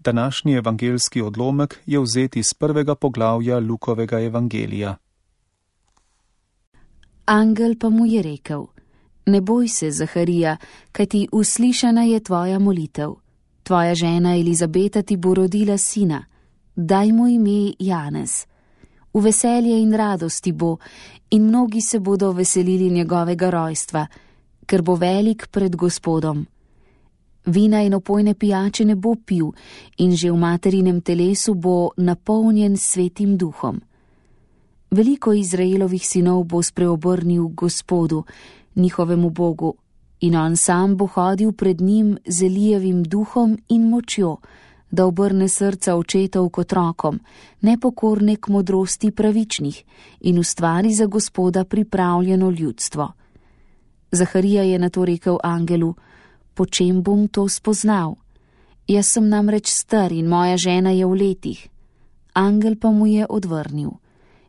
Današnji evangeljski odlomek je vzet iz 1. poglavja Lukovega evangelija. Angel pa mu je rekel: Ne boj se, Zaharija, kajti uslišana je tvoja molitev. Tvoja žena Elizabeta ti bo rodila sina. Daj mu ime Janez. V veselje in radosti bo, in mnogi se bodo veselili njegovega rojstva, ker bo velik pred Gospodom. Vina in opojne pijače ne bo pil in že v materinem telesu bo napolnjen s Svetim duhom. Veliko Izraelovih sinov bo spreobrnil Gospodu, njihovemu Bogu, in on sam bo hodil pred njim z Elijevim duhom in močjo, da obrne srca očetov k otrokom, nepokorne k modrosti pravičnih in ustvari za Gospoda pripravljeno ljudstvo. Zaharija je nato rekel angelu: Po čem bom to spoznal? Jaz sem namreč star in moja žena je v letih. Angel pa mu je odvrnil: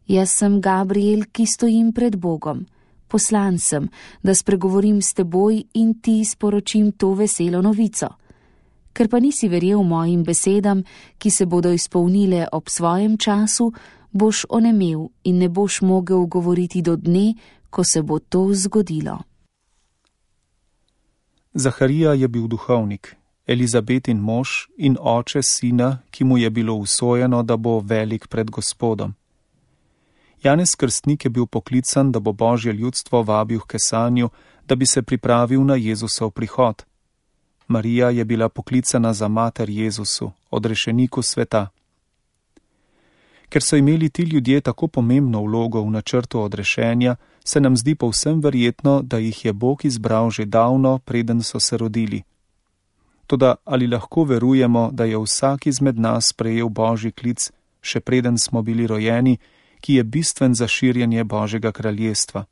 Jaz sem Gabriel, ki stojim pred Bogom. Poslan sem, da spregovorim s teboj in ti sporočim to veselo novico. Ker pa nisi verjel mojim besedam, ki se bodo izpolnile ob svojem času, boš onemel in ne boš mogel govoriti do dne, ko se bo to zgodilo. Zaharija je bil duhovnik, Elizabetin mož in oče sina, ki mu je bilo usojeno, da bo velik pred Gospodom. Janez Krstnik je bil poklican, da bo Božje ljudstvo vabil k kesanju, da bi se pripravil na Jezusov prihod. Marija je bila poklicana za mater Jezusu, odrešeniku sveta. Ker so imeli ti ljudje tako pomembno vlogo v načrtu odrešenja, se nam zdi povsem verjetno, da jih je Bog izbral že davno, preden so se rodili. Toda ali lahko verujemo, da je vsak izmed nas prejel Božji klic, še preden smo bili rojeni, ki je bistven za širjenje Božjega kraljestva?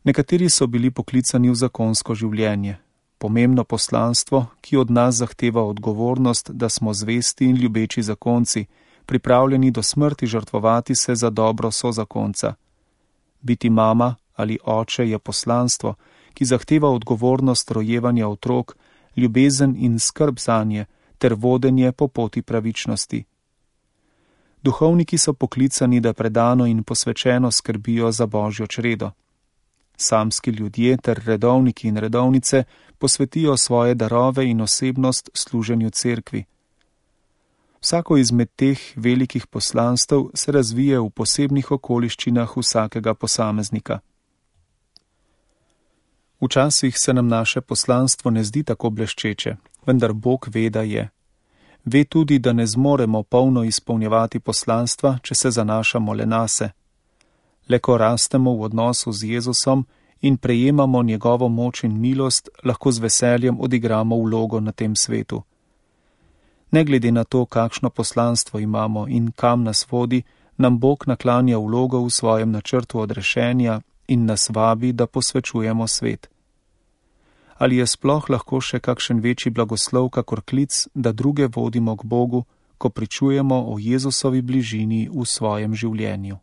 Nekateri so bili poklicani v zakonsko življenje, pomembno poslanstvo, ki od nas zahteva odgovornost, da smo zvesti in ljubeči zakonci, pripravljeni do smrti žrtvovati se za dobro sozakonca. Biti mama ali oče je poslanstvo, ki zahteva odgovornost rojevanja otrok, ljubezen in skrb zanje ter vodenje po poti pravičnosti. Duhovniki so poklicani, da predano in posvečeno skrbijo za Božjo čredo. Samski ljudje ter redovniki in redovnice posvetijo svoje darove in osebnost služenju cerkvi. Vsako izmed teh velikih poslanstev se razvije v posebnih okoliščinah vsakega posameznika. Včasih se nam naše poslanstvo ne zdi tako bleščeče, vendar Bog ve, da je. Ve tudi, da ne zmoremo polno izpolnjevati poslanstva, če se zanašamo le nase. Le ko rastemo v odnosu z Jezusom in prejemamo njegovo moč in milost, lahko z veseljem odigramo vlogo na tem svetu. Ne glede na to, kakšno poslanstvo imamo in kam nas vodi, nam Bog naklanja vlogo v svojem načrtu odrešenja in nas vabi, da posvečujemo svet. Ali je sploh lahko še kakšen večji blagoslov kakor klic, da druge vodimo k Bogu, ko pričujemo o Jezusovi bližini v svojem življenju?